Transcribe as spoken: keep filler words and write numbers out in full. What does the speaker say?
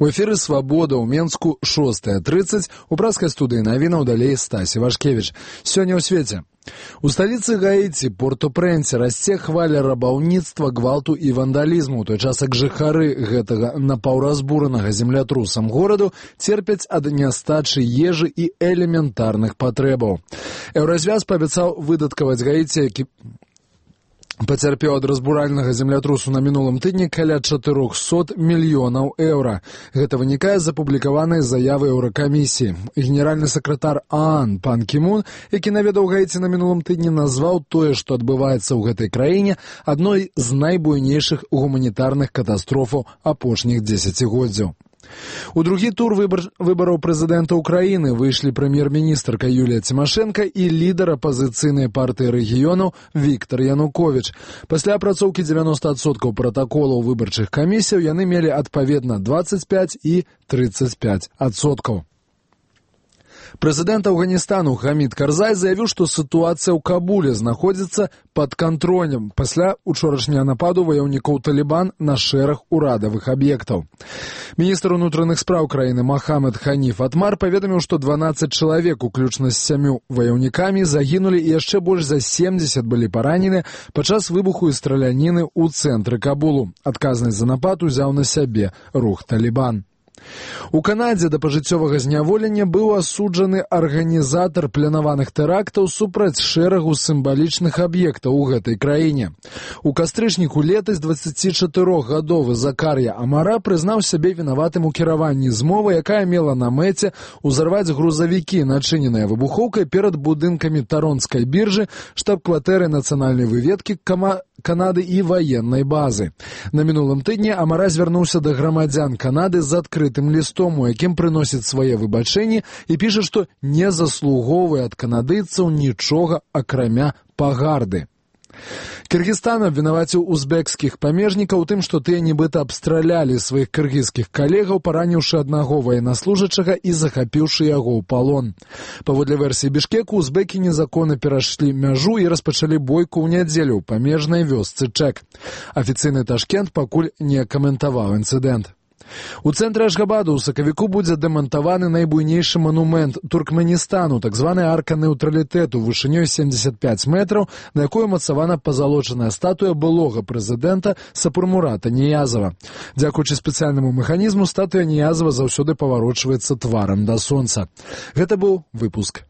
У эфіры «Свабода» ў Менску шостая тридцать. У праскай студыі навінаў далей Стасі Вашкевіч. Сёння ў свеце. У сталіцы Гаіці, Порт-о-Прэнсе, расце хваля рабаўніцтва, гвалту і вандалізму, у той час як жыхары гэтага напаўразбуранага землятрусам гораду церпяць ад нястачы ежы і элементарных патрэбаў. Еўразвяз паабяцаў выдаткаваць Гаіці, які пацярпеў ад разбуральнага землятрусу на мінулым тыдні каля чатырохсот мільёнаў еўра. Гэта вынікае з апублікаванай заявы Еўракамісіі. Генеральны сакратар ААН пан Кімун, які наведаў Гаіці на мінулым тыдні, назваў тое, што адбываецца ў гэтай краіне, адной з найбуйнейшых гуманітарных катастрофаў апошніх дзесяцігоддзяў. У другі тур выбар... выбараў прэзідэнта ўкраіны выйшлі прэм'ер-міністрка Юлія Цімашэнка і лідар апазіцыйнай партыі рэгіёнаў Віктар Януковіч. Пасля апрацоўкі дзевяноста адсоткаў пратаколаў выбарчых камісіяў яны мелі адпаведна дваццаць пяць і трыццаць пяць адсоткаў. Прэзідэнт Афганістану Хамід Карзай заявіў, што сітуацыя ў Кабуле знаходзіцца пад кантролем пасля учорашняга нападу ваяўнікоў Талібан на шэраг урадавых аб'ектаў. Міністр унутраных спраў краіны Махамед Ханіф Атмар паведаміў, што дванаццаць чалавек, уключна з сямю ваяўнікамі, загінулі і яшчэ больш за семдзесят былі паранены падчас выбуху і страляніны ў цэнтры Кабулу. Адказнасць за напад узяў на сябе рух Талібан. У Канадзе да пажыццёвага зняволення быў асуджаны арганізатар планаваных тэрактаў супраць шэрагу сімвалічных аб'ектаў у гэтай краіне. У кастрычніку летась дваццацічатырохгадовы Закар'я Амара прызнаў сябе вінаватым у кіраванні змовы, якая мела на мэце ўзарваць грузавікі, начыненыя выбухоўкай перад будынкамі Таронскай біржы, штаб-кватэры нацыянальнай выведкі кама... Канады і ваеннай базы. На мінулым тыдні Амара звярнуўся да грамадзян Канады з адкрытым лістом, у якім прыносіць свае выбачэнні і піша, што не заслугоўвае ад канадыйцаў нічога, акрамя пагарды. Кыргызстан абвінаваціў узбекскіх памежнікаў у тым, што тыя нібыта абстралялі сваіх кыргызскіх калегаў, параніўшы аднаго ваеннаслужачага і захапіўшы яго ў палон. Паводле версіі Бішкеку, узбекі незаконна перайшлі мяжу і распачалі бойку ў нядзелю ў памежнай вёсцы Чэк. Афіцыйны Ташкент пакуль не каментаваў інцыдэнт. У цэнтры Ашгабаду ў сакавіку будзе дэмантаваны найбуйнейшы манумент Туркменістану, так званая арка нейтралітэту вышынёй семдзесят пяць метраў, на якой умацавана пазалочаная статуя былога прэзідэнта Сапурмурата Ніязава. Дзякуючы спецыяльнаму механізму статуя Ніязава заўсёды паварочваецца тварам да сонца. Гэта быў выпуск